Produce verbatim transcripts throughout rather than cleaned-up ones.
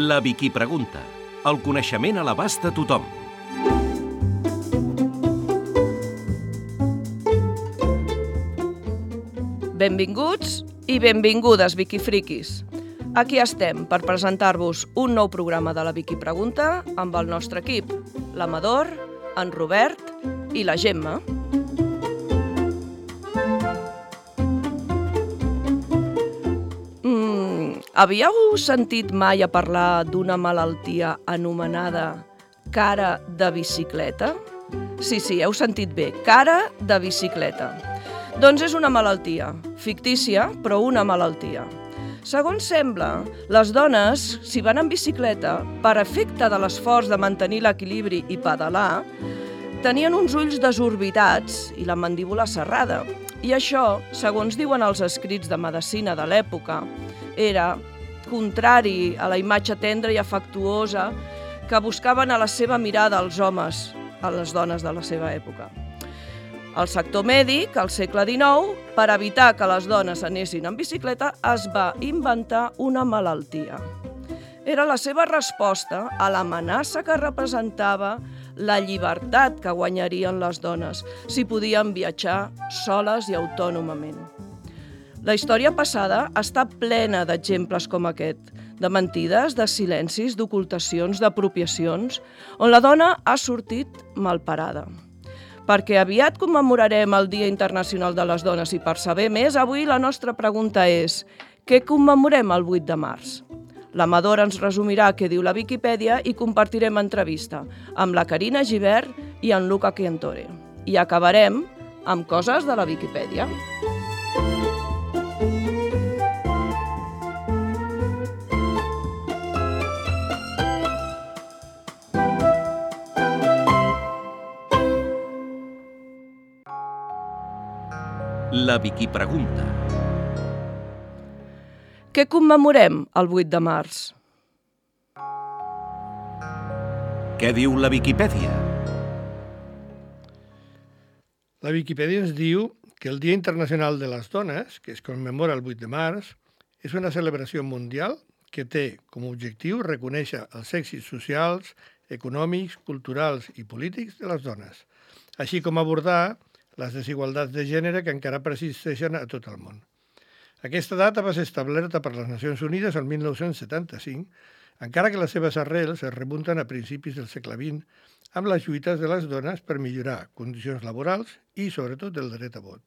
La Vicky Pregunta. El coneixement a l'abast de tothom. Benvinguts i benvingudes, Vicky Friquis. Aquí estem per presentar-vos un nou programa de la Vicky Pregunta amb el nostre equip, l'Amador, en Robert i la Gemma. Mm, havíeu sentit mai a parlar d'una malaltia anomenada cara de bicicleta? Sí, sí, heu sentit bé, cara de bicicleta. Doncs és una malaltia, fictícia, però una malaltia. Segons sembla, les dones, si van en bicicleta, per efecte de l'esforç de mantenir l'equilibri i pedalar, tenien uns ulls desorbitats i la mandíbula serrada. I això, segons diuen els escrits de medicina de l'època, era contrari a la imatge tendra i afectuosa que buscaven a la seva mirada els homes, a les dones de la seva època. El sector mèdic, al segle dinou, per evitar que les dones anessin en bicicleta, es va inventar una malaltia. Era la seva resposta a l'amenaça que representava la llibertat que guanyarien les dones si podien viatjar soles i autònomament. La història passada està plena d'exemples com aquest, de mentides, de silencis, d'ocultacions, d'apropiacions, on la dona ha sortit malparada. Perquè aviat commemorarem el Dia Internacional de les Dones i per saber més, avui la nostra pregunta és: què commemorem el vuit de març? L'Amador ens resumirà què diu la Viquipèdia i compartirem entrevista amb la Carina Gibert i en Luca Chiantore. I acabarem amb coses de la Viquipèdia. La Vicky Pregunta. Què commemorem el vuit de març? Què diu la Viquipèdia? La Viquipèdia ens diu que el Dia Internacional de les Dones, que es commemora el vuit de març, és una celebració mundial que té com a objectiu reconèixer els èxits socials, econòmics, culturals i polítics de les dones, així com abordar les desigualtats de gènere que encara persisteixen a tot el món. Aquesta data va ser establerta per les Nacions Unides el mil nou-cents setanta-cinc, encara que les seves arrels es remunten a principis del segle vint, amb les lluites de les dones per millorar condicions laborals i, sobretot, el dret a vot.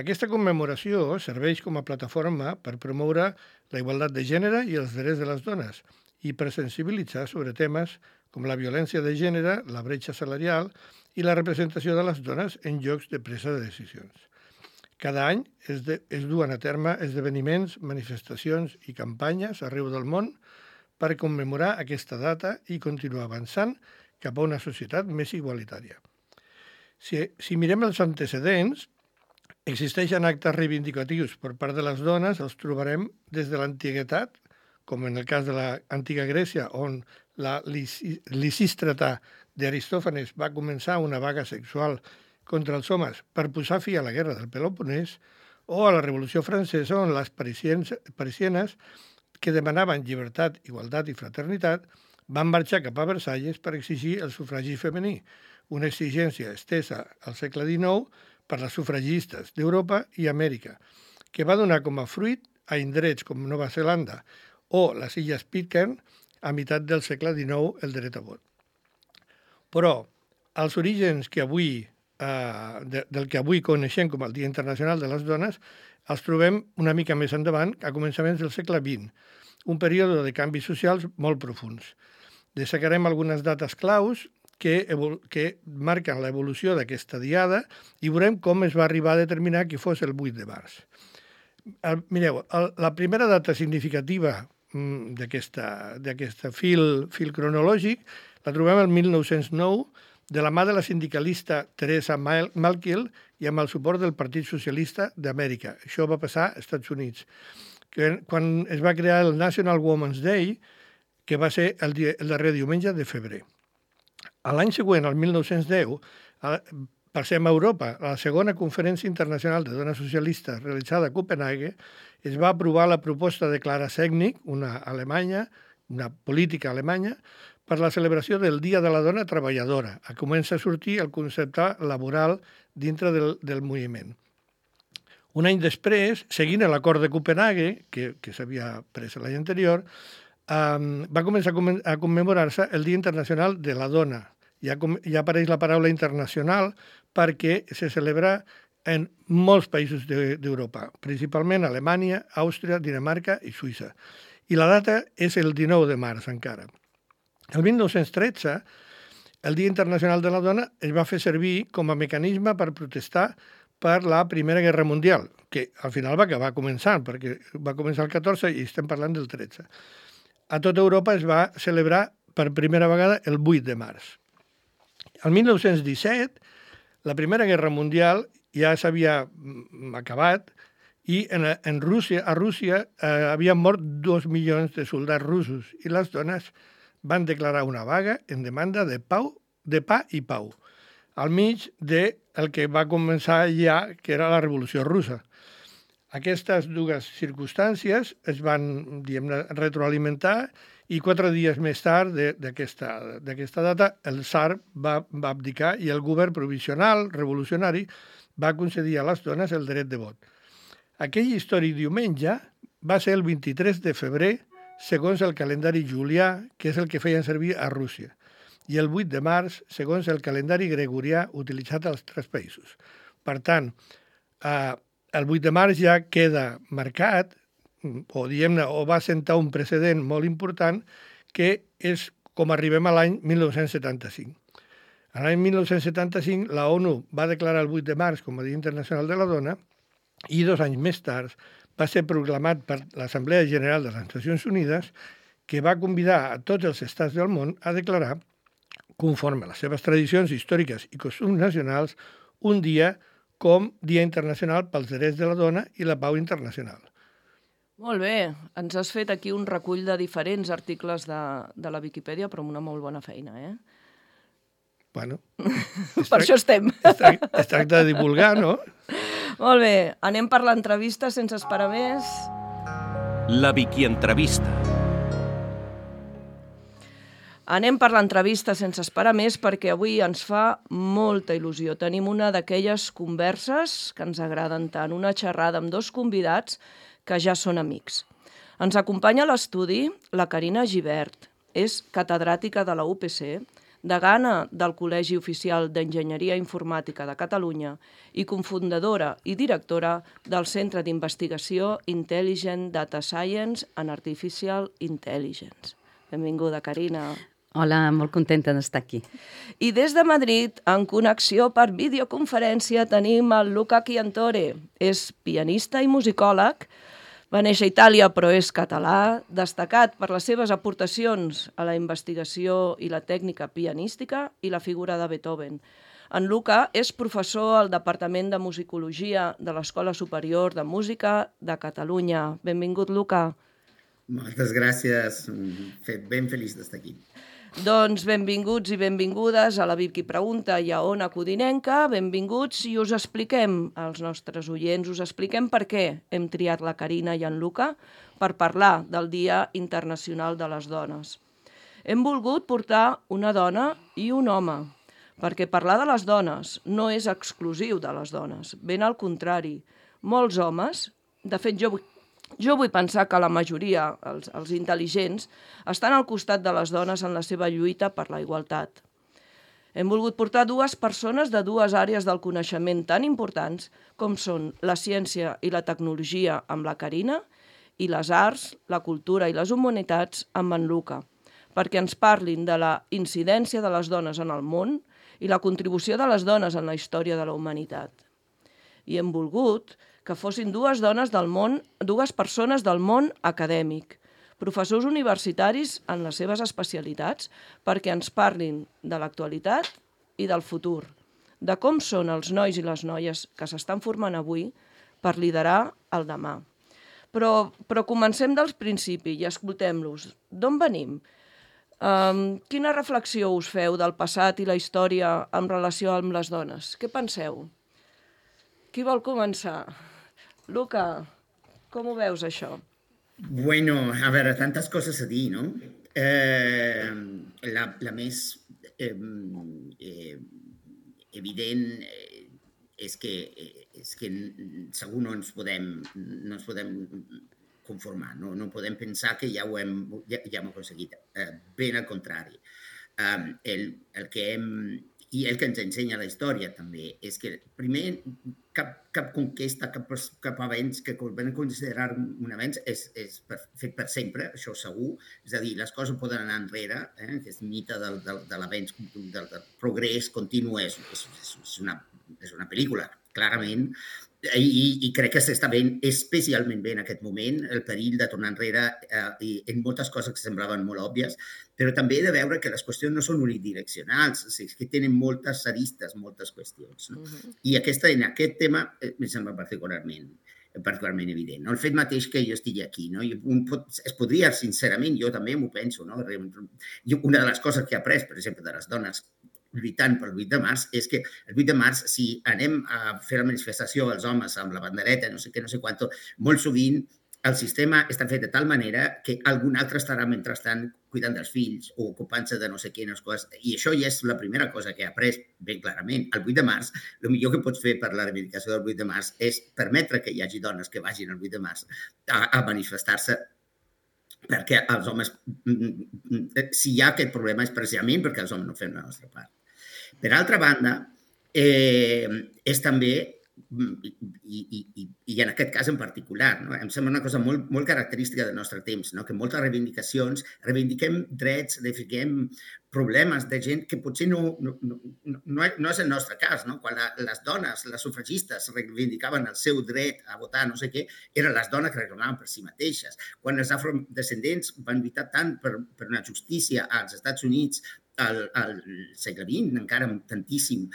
Aquesta commemoració serveix com a plataforma per promoure la igualtat de gènere i els drets de les dones i per sensibilitzar sobre temes com la violència de gènere, la bretxa salarial i la representació de les dones en llocs de presa de decisions. Cada any es, de, es duen a terme esdeveniments, manifestacions i campanyes arreu del món per commemorar aquesta data i continuar avançant cap a una societat més igualitària. Si, si mirem els antecedents, existeixen actes reivindicatius per part de les dones, els trobarem des de l'antiguitat, com en el cas de l'antiga Grècia, on la Lisístrata d'Aristòfanes va començar una vaga sexual contra els homes per posar fi a la guerra del Peloponès, o a la Revolució Francesa, on les parisienes, que demanaven llibertat, igualtat i fraternitat, van marxar cap a Versalles per exigir el sufragi femení, una exigència estesa al segle dinou per les sufragistes d'Europa i Amèrica, que va donar com a fruit a indrets com Nova Zelanda o les illes Pitcairn a meitat del segle dinou el dret a vot. Però els orígens que avui, eh, de, del que avui coneixem com el Dia Internacional de les Dones els trobem una mica més endavant, a començaments del segle vint, un període de canvis socials molt profuns. Destacarem algunes dates claus que, que marquen l'evolució d'aquesta diada i veurem com es va arribar a determinar qui fos el vuit de març. El, mireu, el, la primera data significativa d'aquest fil, fil cronològic la trobem el mil nou-cents nou de la mà de la sindicalista Teresa Malkiel i amb el suport del Partit Socialista d'Amèrica. Això va passar als Estats Units, que, quan es va crear el National Women's Day, que va ser el, dia, el darrer diumenge de febrer. A l'any següent, el mil nou-cents deu, passem a Europa. A la segona Conferència Internacional de Dones Socialistes realitzada a Copenhague, es va aprovar la proposta de Clara Zetkin, una alemanya, una política alemanya, per la celebració del Dia de la Dona Treballadora. Comença a sortir el concepte laboral dintre del, del moviment. Un any després, seguint l'acord de Copenhague, que, que s'havia pres l'any anterior, um, va començar a commemorar-se el Dia Internacional de la Dona. Ja, ja apareix la paraula internacional perquè se celebra en molts països d'Europa, principalment Alemanya, Àustria, Dinamarca i Suïssa. I la data és el dinou de març encara. El mil nou-cents tretze, el Dia Internacional de la Dona es va fer servir com a mecanisme per protestar per la Primera Guerra Mundial, que al final va acabar començant, perquè va començar el catorze i estem parlant del tretze. A tota Europa es va celebrar per primera vegada el vuit de març. El mil nou-cents disset, la Primera Guerra Mundial ja s'havia acabat i en, en Rússia, a Rússia eh, havien mort dos milions de soldats russos i les dones van declarar una vaga en demanda de pau, de pa i pau, al mig del que va començar ja, que era la Revolució Russa. Aquestes dues circumstàncies es van, diguem-ne, retroalimentar i quatre dies més tard d'aquesta data el tsar va, va abdicar i el govern provisional revolucionari va concedir a les dones el dret de vot. Aquell històric diumenge va ser el vint-i-tres de febrer segons el calendari julià, que és el que feien servir a Rússia, i el vuit de març, segons el calendari gregorià utilitzat als tres països. Per tant, eh, el vuit de març ja queda marcat, o diguem-ne, o va sentar un precedent molt important, que és com arribem a l'any mil nou-cents setanta-cinc. A l'any mil nou-cents setanta-cinc, la ONU va declarar el vuit de març com a Dia Internacional de la Dona i dos anys més tard va ser proclamat per l'Assemblea General de les Nacions Unides, que va convidar a tots els estats del món a declarar, conforme a les seves tradicions històriques i costums nacionals, un dia com Dia Internacional pels Drets de la Dona i la Pau Internacional. Molt bé, ens has fet aquí un recull de diferents articles de, de la Viquipèdia, però amb una molt bona feina, eh? Bueno, per això estem. Es tracta, es tracta de divulgar, no? Molt bé, anem per l'entrevista sense esperar més. La Viqui Entrevista. Anem per l'entrevista sense esperar més perquè avui ens fa molta il·lusió. Tenim una d'aquelles converses que ens agraden tant, una xerrada amb dos convidats que ja són amics. Ens acompanya a l'estudi la Carina Gibert, és catedràtica de la U P C, degana del Col·legi Oficial d'Enginyeria Informàtica de Catalunya i cofundadora i directora del Centre d'Investigació Intelligent Data Science and Artificial Intelligence. Benvinguda, Carina. Hola, molt contenta d'estar aquí. I des de Madrid, en connexió per videoconferència, tenim el Luca Chiantore. És pianista i musicòleg. Va néixer a Itàlia, però és català, destacat per les seves aportacions a la investigació i la tècnica pianística i la figura de Beethoven. En Luca és professor al Departament de Musicologia de l'Escola Superior de Música de Catalunya. Benvingut, Luca. Moltes gràcies. Ben feliç d'estar aquí. Doncs benvinguts i benvingudes a la Viqui Pregunta i a Ona Codinenca. Benvinguts i us expliquem, als nostres oients, us expliquem per què hem triat la Carina i en Luca per parlar del Dia Internacional de les Dones. Hem volgut portar una dona i un home, perquè parlar de les dones no és exclusiu de les dones, ben al contrari. Molts homes, de fet jo vull Jo vull pensar que la majoria, els, els intel·ligents, estan al costat de les dones en la seva lluita per la igualtat. Hem volgut portar dues persones de dues àrees del coneixement tan importants com són la ciència i la tecnologia amb la Carina i les arts, la cultura i les humanitats amb en Luca, perquè ens parlin de la incidència de les dones en el món i la contribució de les dones en la història de la humanitat. I hem volgut que fossin dues dones del món, dues persones del món acadèmic, professors universitaris en les seves especialitats, perquè ens parlin de l'actualitat i del futur, de com són els nois i les noies que s'estan formant avui per liderar el demà. Però, però comencem dels principis i escoltem-los. D'on venim? Um, quina reflexió us feu del passat i la història en relació amb les dones? Què penseu? Qui vol començar? Luca, com ho veus, això? Bueno, a veure, tantes coses a dir, no? Eh, la, la més eh, eh, evident eh, és que, eh, és que segur no ens podem, no ens podem conformar, no, no podem pensar que ja ho hem, ja, ja hem aconseguit. Eh, ben al contrari. Eh, el, el que hem, i el que ens ensenya la història també és que, primer, cap, cap conquesta, cap, cap avenç que vam considerar un avenç és, és per, fet per sempre, això segur. És a dir, les coses poden anar enrere, eh? Aquest mite del, del, de l'avenç, del, del progrés continu és, és, és, una, és una pel·lícula, clarament, i, i crec que s'està veient especialment bé en aquest moment el perill de tornar enrere eh, i en moltes coses que semblaven molt òbvies, però també he de veure que les qüestions no són unidireccionals, o sigui, que tenen moltes aristes, moltes qüestions. No? Uh-huh. I aquesta, en aquest tema eh, em sembla particularment, particularment evident. No? El fet mateix que jo estigui aquí. No? I un pot, es podria, sincerament, jo també m'ho penso. No? Jo, una de les coses que he après, per exemple, de les dones lluitant pel vuit de març, és que el vuit de març, si anem a fer la manifestació als homes amb la bandereta, no sé què, no sé quant, molt sovint el sistema està fet de tal manera que algun altre estarà mentrestant cuidant dels fills o ocupant-se de no sé quines coses. I això ja és la primera cosa que he après ben clarament. El vuit de març, el millor que pots fer per la reivindicació del vuit de març és permetre que hi hagi dones que vagin el vuit de març a, a manifestar-se, perquè els homes, si hi ha aquest problema és precisament perquè els homes no fem la nostra part. Per altra banda, eh, és també, i, i, i, i en aquest cas en particular, no? Em sembla una cosa molt, molt característica del nostre temps, no? Que moltes reivindicacions, reivindiquem drets, reivindiquem problemes de gent que potser no, no, no, no, no és el nostre cas. No? Quan la, les dones, les sufragistes, reivindicaven el seu dret a votar, no sé què, eren les dones que reclamaven per si mateixes. Quan els afrodescendents van lluitar tant per, per una justícia als Estats Units al, al segle vint, encara tantíssim,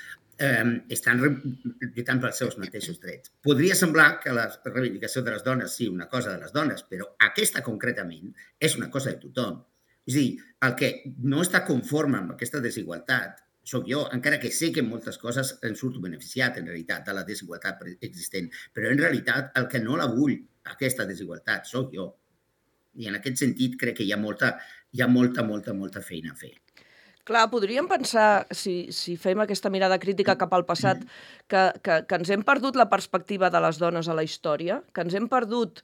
eh, estan lluitant pels seus mateixos drets. Podria semblar que la reivindicació de les dones sigui una cosa de les dones, però aquesta concretament és una cosa de tothom. És a dir, el que no està conforme amb aquesta desigualtat soc jo, encara que sé que en moltes coses en surto beneficiat, en realitat, de la desigualtat existent, però en realitat el que no la vull, aquesta desigualtat, soc jo. I en aquest sentit crec que hi ha molta, hi ha molta, molta, molta feina a fer. Clar, podríem pensar, si, si fem aquesta mirada crítica cap al passat, que, que, que ens hem perdut la perspectiva de les dones a la història, que ens hem perdut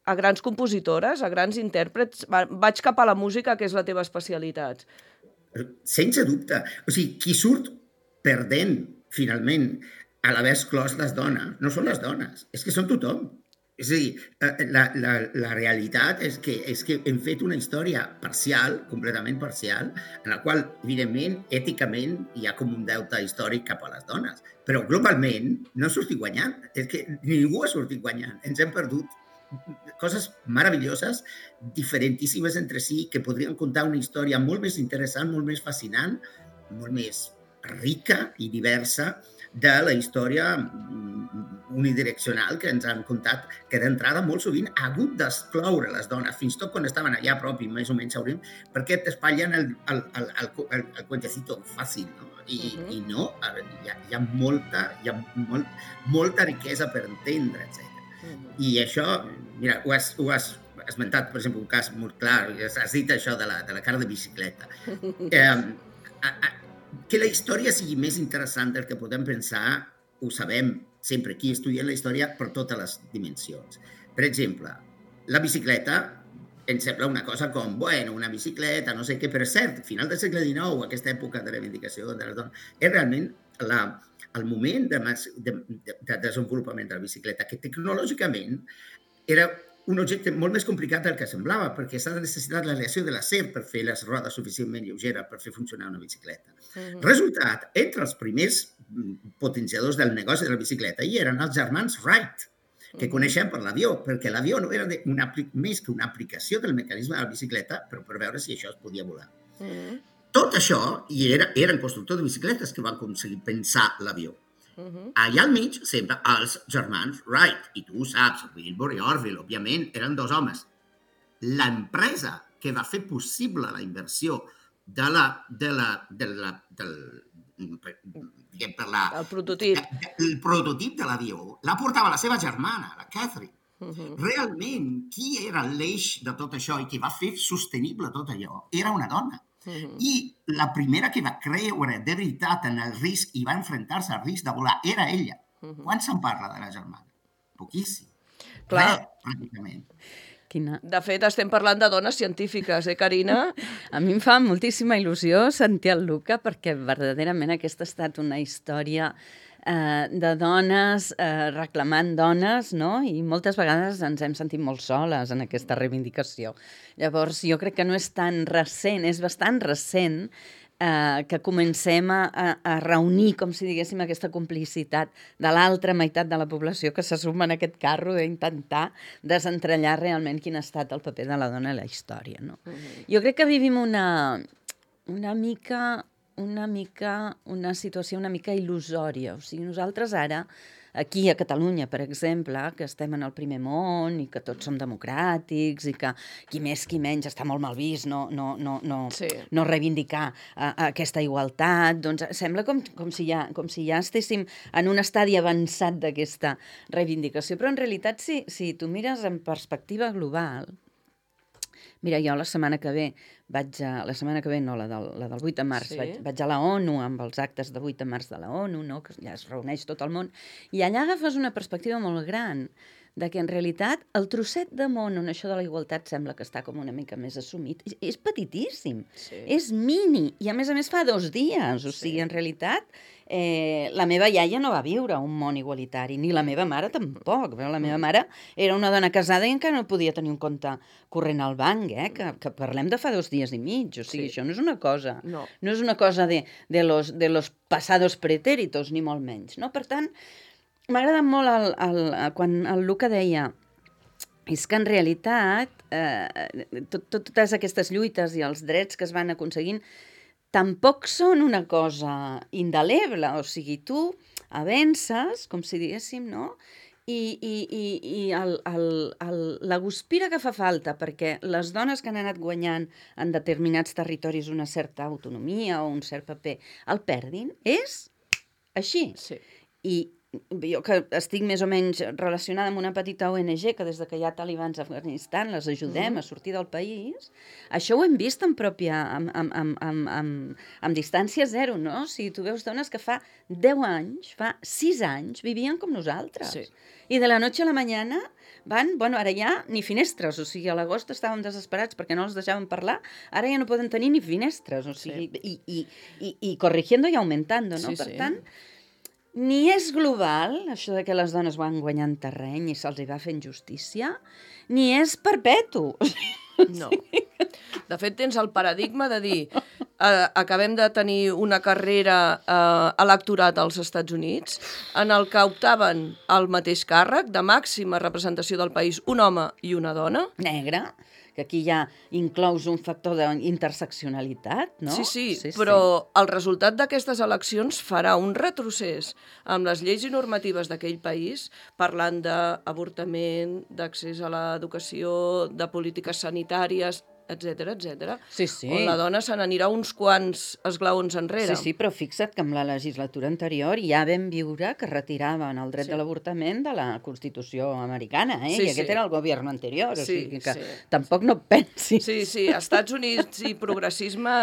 a grans compositores, a grans intèrprets. Vaig cap a la música, que és la teva especialitat. Sense dubte. O sigui, qui surt perdent, finalment, a l'haver exclòs les dones, no són les dones, és que són tothom. És a dir, la, la, la realitat és que, és que hem fet una història parcial, completament parcial, en la qual, evidentment, èticament, hi ha com un deute històric cap a les dones. Però globalment no sortit guanyant. És que ningú ha sortit guanyant. Ens hem perdut coses meravelloses, diferentíssimes entre si, que podrien contar una història molt més interessant, molt més fascinant, molt més rica i diversa de la història unidireccional que ens han contat, que d'entrada molt sovint ha hagut d'excloure les dones, fins tot quan estaven allà a prop i més o menys s'haurien, perquè t'espatllen el, el, el, el, el cuentecito fàcil, no? I, uh-huh. i no, hi ha, hi ha, molta, hi ha molt, molta riquesa per entendre, etcètera. Uh-huh. I això, mira, ho has, ho has esmentat, per exemple, un cas molt clar, has dit això de la, de la cara de bicicleta. Eh, a, a, que la història sigui més interessant del que podem pensar, ho sabem sempre, qui estudia la història per totes les dimensions. Per exemple, la bicicleta em sembla una cosa com, bueno, una bicicleta, no sé què, però és cert, final del segle dinou, aquesta època de reivindicació de les dones, és realment la, el moment de, de, de desenvolupament de la bicicleta, que tecnològicament era un objecte molt més complicat del que semblava, perquè s'ha necessitat l'aleació de l'acer per fer les rodes suficientment lleugeres per fer funcionar una bicicleta. Uh-huh. Resultat, entre els primers potenciadors del negoci de la bicicleta hi eren els germans Wright, que uh-huh. coneixem per l'avió, perquè l'avió no era una, més que una aplicació del mecanisme de la bicicleta, però per veure si això es podia volar. Uh-huh. Tot això, i era, eren constructors de bicicletes que van aconseguir pensar l'avió. Uh-huh. Allà al mig sempre els germans Wright, i tu saps, Wilbur i Orville, òbviament, eren dos homes. L'empresa que va fer possible la inversió de la, de la, de la, del, diguem, per la, el prototip. El prototip de l'avió la portava la seva germana, la Catherine. Uh-huh. Realment, qui era l'eix de tot això i qui va fer sostenible tot allò era una dona. Uh-huh. I la primera que va creure de veritat en el risc i va enfrontar-se al risc de volar era ella. Uh-huh. Quan se'n parla de la germana? Poquíssim. Clar. Res, pràcticament. Quina... De fet, estem parlant de dones científiques, eh, Carina? A mi em fa moltíssima il·lusió sentir el Luca perquè verdaderament aquesta ha estat una història eh, de dones eh, reclamant dones, no? I moltes vegades ens hem sentit molt soles en aquesta reivindicació. Llavors, jo crec que no és tan recent, és bastant recent Uh, que comencem a, a, a reunir, com si diguéssim, aquesta complicitat de l'altra meitat de la població que se suma en aquest carro d'intentar desentrellar realment quin ha estat el paper de la dona a la història, no? Uh-huh. Jo crec que vivim una, una mica, una mica, una situació una mica il·lusòria. O sigui, nosaltres ara, aquí a Catalunya, per exemple, que estem en el primer món i que tots som democràtics i que qui més qui menys està molt mal vist no, no, no, no, sí. no reivindicar uh, aquesta igualtat, doncs sembla com, com, si ja, com si ja estéssim en un estadi avançat d'aquesta reivindicació. Però en realitat, si, si tu mires en perspectiva global, mira, jo la setmana que ve vaig a... La setmana que ve, no, la del, la del vuit de març, sí. vaig, vaig a la ONU amb els actes de vuit de març de la ONU, no? Que ja es reuneix tot el món, i allà agafes una perspectiva molt gran de que en realitat el trosset de món on això de la igualtat sembla que està com una mica més assumit, és, és petitíssim, sí. És mini, i a més a més fa dos dies, o sí. sigui, en realitat eh, la meva iaia no va viure un món igualitari, ni la meva mare tampoc, però la meva mare era una dona casada i encara no podia tenir un compte corrent al banc, eh? que, que parlem de fa dos dies i mig, o sigui, sí. Això no és una cosa, no, no és una cosa de, de, los, de los pasados pretéritos, ni molt menys, no? Per tant, m'ha agradat molt el, el, el, quan el Luca deia és que en realitat eh, tot, totes aquestes lluites i els drets que es van aconseguint tampoc són una cosa indeleble, o sigui, tu avences, com si diguéssim, no? I, i, i, i el, el, el, la guspira que fa falta perquè les dones que han anat guanyant en determinats territoris una certa autonomia o un cert paper el perdin, és així. Sí. I jo que estic més o menys relacionada amb una petita O N G que des de que hi ha talibans a Afganistan les ajudem mm. a sortir del país, això ho hem vist en pròpia, amb, amb, amb, amb, amb, amb distància zero, no? O sigui, tu veus dones que fa deu anys, fa sis anys, vivien com nosaltres. Sí. I de la noche a la mañana van, bueno, ara ja ni finestres, o sigui, a l'agost estàvem desesperats perquè no els deixaven parlar, ara ja no poden tenir ni finestres, o sigui, sí. i, i, i, i corrigiendo i aumentando, no? Sí, per sí. tant, ni és global, això de que les dones van guanyant terreny i se'ls hi va fent justícia, ni és perpetu. No. De fet, tens el paradigma de dir eh, acabem de tenir una carrera eh, electorat als Estats Units en el que optaven al mateix càrrec de màxima representació del país un home i una dona. Negre, que aquí ja inclous un factor d'interseccionalitat, no? Sí, sí, sí, però sí. El resultat d'aquestes eleccions farà un retrocés amb les lleis i normatives d'aquell país, parlant d'avortament, d'accés a l'educació, de polítiques sanitàries, etcètera, etcètera. Sí, sí. On la dona se n'anirà uns quants esglaons enrere. Sí, sí, però fixa't que amb la legislatura anterior ja vam viure que retiraven el dret sí. de l'avortament de la Constitució americana, eh? Sí, I aquest sí. era el govern anterior, Sí, o sigui que sí. tampoc no pensis. Sí, sí, Estats Units i progressisme,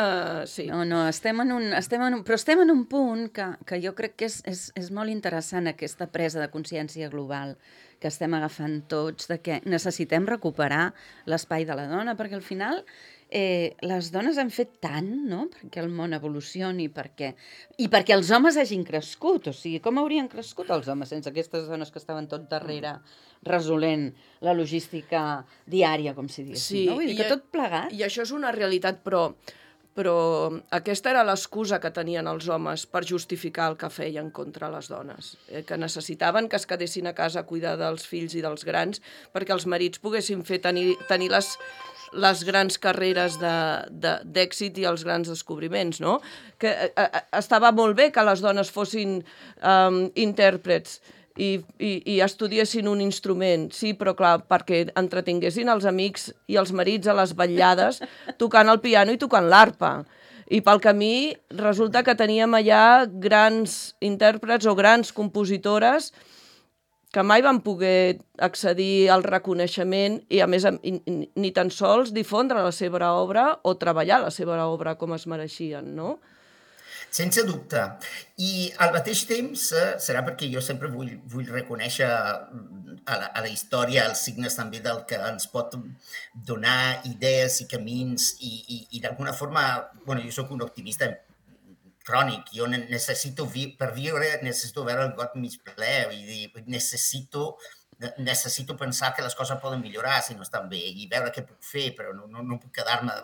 sí. No, no, estem en un, estem en un, però estem en un punt que, que jo crec que és, és, és molt interessant aquesta presa de consciència global que estem agafant tots, de que necessitem recuperar l'espai de la dona, perquè al final eh, les dones han fet tant, no?, perquè el món evolucioni, perquè... i perquè els homes hagin crescut, o sigui, com haurien crescut els homes sense aquestes dones que estaven tot darrere resolent la logística diària, com si diguéssim, Sí, no? Vull dir i que tot plegat... I això és una realitat, però... però aquesta era l'excusa que tenien els homes per justificar el que feien contra les dones, eh, que necessitaven que es quedessin a casa a cuidar dels fills i dels grans perquè els marits poguessin fer tenir, tenir les, les grans carreres d'èxit de, de, i els grans descobriments, no? Que eh, eh, estava molt bé que les dones fossin eh, intèrprets, I, i, i estudiessin un instrument, sí, però clar, perquè entretinguessin els amics i els marits a les vetllades tocant el piano i tocant l'arpa. I pel camí resulta que teníem allà grans intèrprets o grans compositores que mai van poder accedir al reconeixement i, a més, ni tan sols difondre la seva obra o treballar la seva obra com es mereixien, no? Sense dubte. I al mateix temps serà perquè jo sempre vull, vull reconèixer a la, a la història els signes també del que ens pot donar idees i camins i, i, i d'alguna forma, bueno, jo soc un optimista crònic, jo necessito, vi per viure, necessito veure el got mig ple, vull dir, necessito, necessito pensar que les coses poden millorar si no estan bé i veure què puc fer, però no, no, no puc quedar-me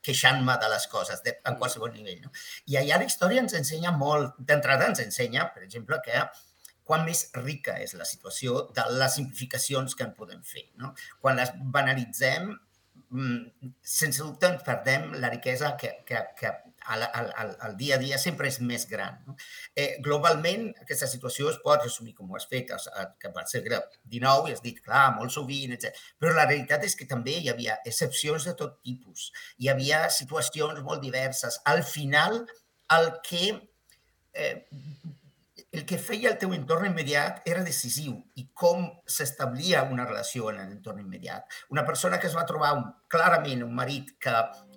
queixant-me de les coses de, en qualsevol nivell. No? I allà la història ens ensenya molt, d'entrada ens ensenya, per exemple, que quan més rica és la situació de les simplificacions que en podem fer. No? Quan les banalitzem, sense dubte ens perdem la riquesa que, que, que al, al, al dia a dia sempre és més gran. No? Eh, globalment, aquesta situació es pot resumir com ho has fet, que va al segle dinou i has dit, clar, molt sovint, etcètera. Però la realitat és que també hi havia excepcions de tot tipus. Hi havia situacions molt diverses. Al final, el que... Eh, el que feia el teu entorn immediat era decisiu i com s'establia una relació en l'entorn immediat. Una persona que es va trobar un, clarament un marit que,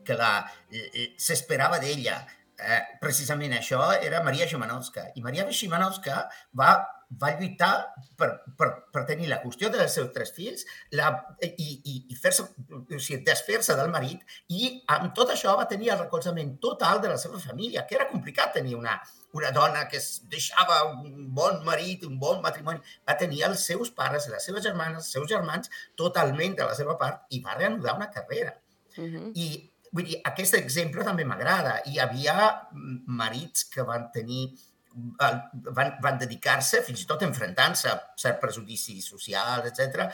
que la, eh, s'esperava d'ella, eh, precisament això era Maria Szymanowska. I Maria Szymanowska va, va lluitar per, per, per tenir la qüestió dels seus tres fills la, i, i, i fer-se, o sigui, desfer-se del marit i amb tot això va tenir el recolzament total de la seva família, que era complicat tenir una una dona que es deixava un bon marit, un bon matrimoni, va tenir els seus pares, les seves germanes, els seus germans, totalment de la seva part, i va reanudar una carrera. Uh-huh. I, vull dir, aquest exemple també m'agrada. Hi havia marits que van tenir, van, van dedicar-se, fins i tot enfrontant-se a cert prejudici social, etcètera,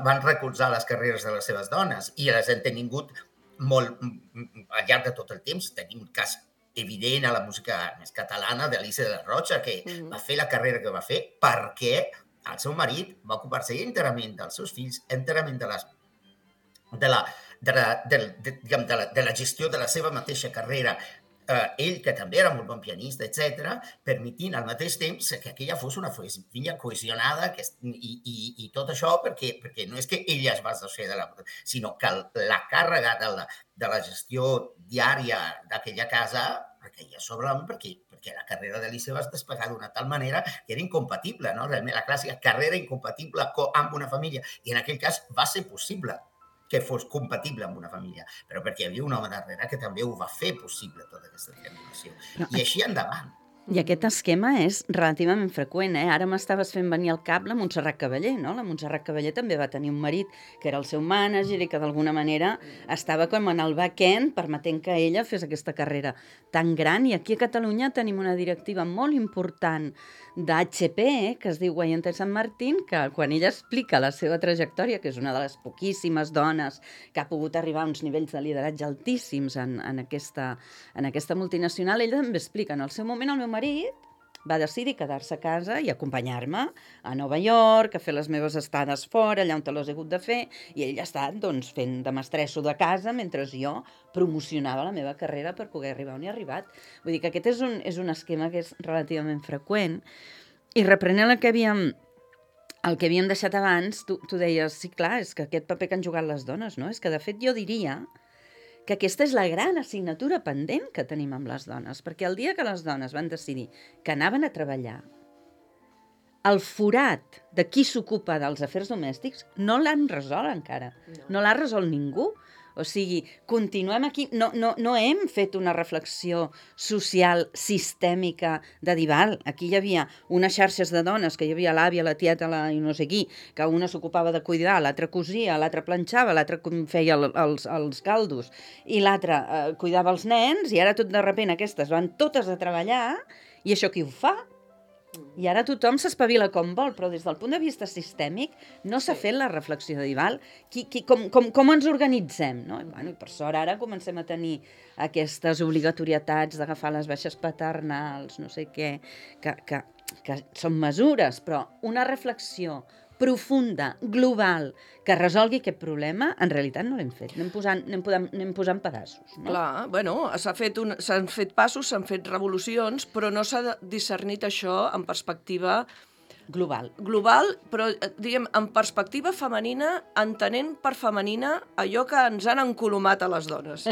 van recolzar les carreres de les seves dones, i les han tingut molt al llarg de tot el temps. Tenim un cas evident a la música més catalana d'Alícia de la Rocha, que mm. va fer la carrera que va fer perquè el seu marit va ocupar-se íntegrament dels seus fills, íntegrament de, les, de, la, de, la, de, de, de, la, de la gestió de la seva mateixa carrera. Eh, ell, que també era molt bon pianista, etcètera, permitint al mateix temps que aquella fos una família cohesionada que, i, i, i tot això perquè, perquè no és que ella es va desfer de la... sinó que la càrrega de la, de la gestió diària d'aquella casa requeia sobre l'home perquè, perquè la carrera d'Alícia va despegar d'una tal manera que era incompatible, no? Realment la clàssica carrera incompatible amb una família. I en aquell cas va ser possible que fos compatible amb una família, però perquè hi havia un home darrere que també ho va fer possible, tota aquesta triangulació. I així endavant. I aquest esquema és relativament freqüent, eh? Ara m'estaves fent venir al cap la Montserrat Caballé, no? La Montserrat Caballé també va tenir un marit que era el seu mànager i que d'alguna manera estava com en el back-end permetent que ella fes aquesta carrera tan gran. I aquí a Catalunya tenim una directiva molt important d'H P, que es diu Guaianter Sant Martín, que quan ella explica la seva trajectòria, que és una de les poquíssimes dones que ha pogut arribar a uns nivells de lideratge altíssims en, en, aquesta, en aquesta multinacional, ella també explica, en el seu moment el meu marit va decidir quedar-se a casa i acompanyar-me a Nova York, a fer les meves estades fora, allà on te les he hagut de fer, i ell ha estat doncs, fent de mestresso de casa mentre jo promocionava la meva carrera per poder arribar on he arribat. Vull dir que aquest és un, és un esquema que és relativament freqüent. I reprenent el que havíem, el que havíem deixat abans, tu, tu deies, sí, clar, és que aquest paper que han jugat les dones, no? És que, de fet, jo diria que aquesta és la gran assignatura pendent que tenim amb les dones, perquè el dia que les dones van decidir que anaven a treballar, el forat de qui s'ocupa dels afers domèstics no l'han resolt encara, no, no l'ha resolt ningú. O sigui, continuem aquí, no, no, no hem fet una reflexió social sistèmica de dir, val, aquí hi havia unes xarxes de dones, que hi havia l'àvia, la tieta, la, i no sé qui, que una s'ocupava de cuidar, l'altra cosia, l'altra planxava, l'altra feia el, els, els caldos, i l'altra eh, cuidava els nens, i ara tot de repent aquestes van totes a treballar, i això qui ho fa? I ara tothom s'espavila com vol, però des del punt de vista sistèmic no s'ha fet la reflexió de dir, val, qui, qui, com, com, com ens organitzem, no? I, bueno, i per sort ara comencem a tenir aquestes obligatorietats d'agafar les baixes paternals, no sé què, que, que, que són mesures, però una reflexió profunda, global, que resolgui aquest problema, en realitat no l'hem fet. Anem posant, anem posant, anem posant pedaços. No? Clar, bueno, s'ha fet un, s'han fet passos, s'han fet revolucions, però no s'ha discernit això en perspectiva Global. Global, però, diguem, en perspectiva femenina, entenent per femenina allò que ens han encolomat a les dones.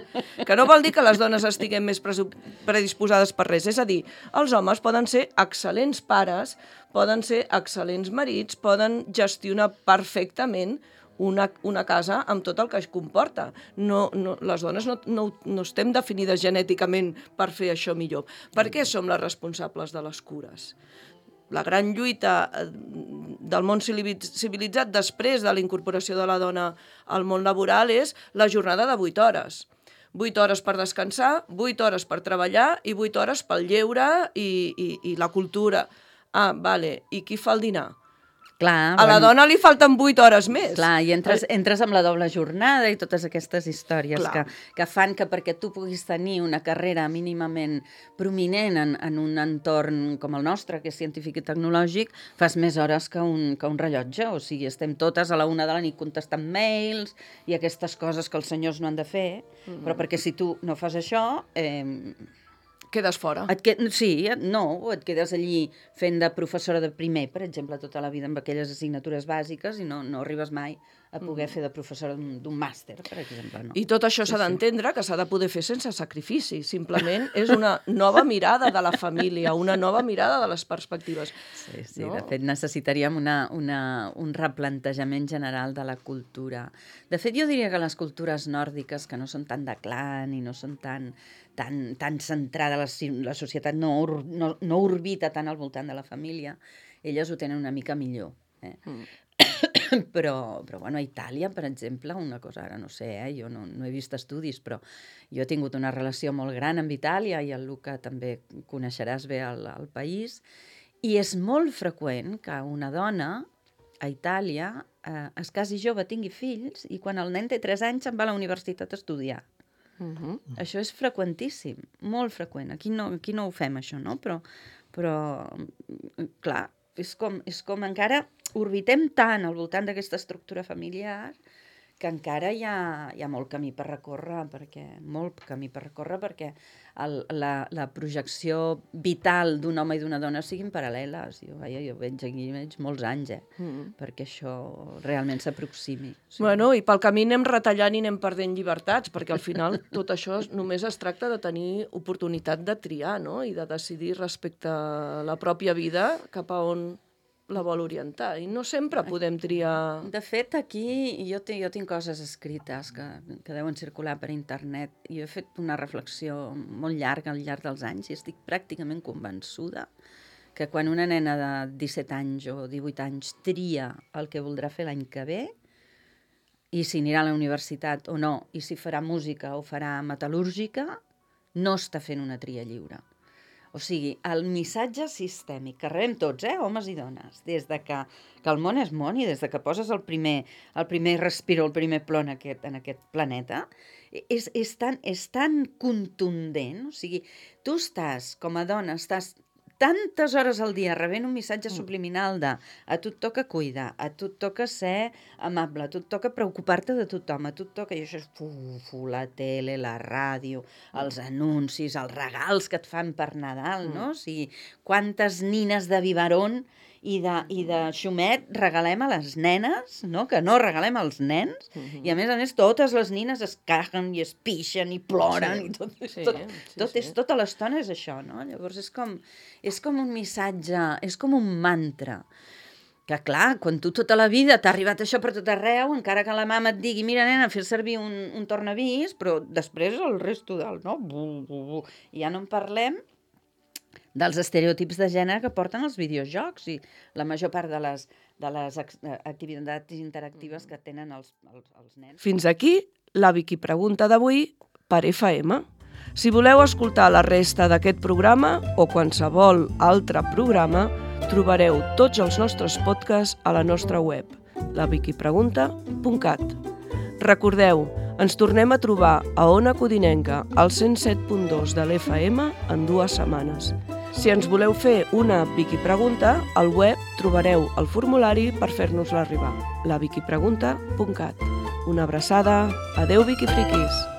Que no vol dir que les dones estiguem més predisposades per res. És a dir, els homes poden ser excel·lents pares, poden ser excel·lents marits, poden gestionar perfectament Una, una casa amb tot el que es comporta. No, no, les dones no, no, no estem definides genèticament per fer això millor. Per què som les responsables de les cures? La gran lluita del món civilitzat després de la incorporació de la dona al món laboral és la jornada de vuit hores. vuit hores per descansar, vuit hores per treballar i vuit hores pel lleure i, i, i la cultura. Ah, vale, i qui fa el dinar? Clar, a la bueno, dona li falten vuit hores més. Clar, i entres, entres amb la doble jornada i totes aquestes històries que, que fan que perquè tu puguis tenir una carrera mínimament prominent en, en un entorn com el nostre, que és científic i tecnològic, fas més hores que un, que un rellotge. O sigui, estem totes a la una de la nit contestant mails i aquestes coses que els senyors no han de fer, mm-hmm. però perquè si tu no fas això... Eh, quedes fora. Et que... Sí, no, et quedes allí fent de professora de primer, per exemple, tota la vida amb aquelles assignatures bàsiques i no, no arribes mai a poder mm. fer de professora d'un màster, per exemple. No. I tot això s'ha sí, d'entendre sí. que s'ha de poder fer sense sacrifici. Simplement és una nova mirada de la família, una nova mirada de les perspectives. Sí, sí, no? De fet necessitaríem una, una, un replantejament general de la cultura. De fet, jo diria que les cultures nòrdiques, que no són tan de clan i no són tan... tan, tan centrada, la, la societat no, no, no orbita tant al voltant de la família, elles ho tenen una mica millor. Eh? Mm. però, però bueno, a Itàlia, per exemple, una cosa, ara no sé, eh? jo no, no he vist estudis, però jo he tingut una relació molt gran amb Itàlia i el Luca també coneixeràs bé el, el país, i és molt freqüent que una dona a Itàlia eh, es casi jove, tingui fills, i quan el nen té tres anys se'n va a la universitat a estudiar. Uh-huh. Això és freqüentíssim, molt freqüent. Aquí no, aquí no ho fem, això, no? Però, però clar, és com, és com encara orbitem tant al voltant d'aquesta estructura familiar que encara hi ha, hi ha molt camí per recórrer, perquè, molt camí per recórrer perquè el, la, la projecció vital d'un home i d'una dona siguin paral·leles. Jo, vaja, jo veig aquí veig molts anys, eh, mm. perquè això realment s'aproximi. Sí. Bueno, i pel camí anem retallant i anem perdent llibertats, perquè al final tot això només es tracta de tenir oportunitat de triar, no? I de decidir respecte a la pròpia vida cap a on la vol orientar, i no sempre podem triar... De fet, aquí jo, te, jo tinc coses escrites que, que deuen circular per internet, i jo he fet una reflexió molt llarga al llarg dels anys i estic pràcticament convençuda que quan una nena de disset anys o divuit anys tria el que voldrà fer l'any que ve, i si anirà a la universitat o no, i si farà música o farà metal·lúrgica, no està fent una tria lliure. O sigui, el missatge sistèmic que rebem tots, eh, homes i dones, des de que, que el món és món i des de que poses el primer, el primer respiro, el primer plor en aquest, en aquest planeta, és, és, tan, és tan contundent. O sigui, tu estàs, com a dona, estàs tantes hores al dia rebent un missatge subliminal de a tu et toca cuidar, a tu et toca ser amable, a tu et toca preocupar-te de tothom, a tu et toca... I això és fu, fu, la tele, la ràdio, els anuncis, els regals que et fan per Nadal, no? O sigui, quantes nines de biberón i de, i de xumet regalem a les nenes, no? Que no regalem als nens, uh-huh. i a més a més totes les nines es caguen i es pixen i ploren, sí. i tot, sí, tot, sí, tot sí. És, tota l'estona és això, no? Llavors és com, és com un missatge, és com un mantra, que clar, quan tu tota la vida t'ha arribat això per tot arreu, encara que la mama et digui, mira nena, fer servir un, un tornavís, però després el resto del, no? Bu, bu, bu. I ja no en parlem dels estereotips de gènere que porten els videojocs i la major part de les, de les activitats interactives que tenen els, els, els nens. Fins aquí la Vicky Pregunta d'avui per F M. Si voleu escoltar la resta d'aquest programa o qualsevol altre programa, trobareu tots els nostres podcasts a la nostra web, la vicky pregunta punt cat. Recordeu, ens tornem a trobar a Ona Codinenca, al cent set punt dos de l'F M, en dues setmanes. Si ens voleu fer una Vicky Pregunta, al web trobareu el formulari per fer-nos-la arribar, la vicky pregunta punt cat. Una abraçada. Adeu, Vicky Friquis.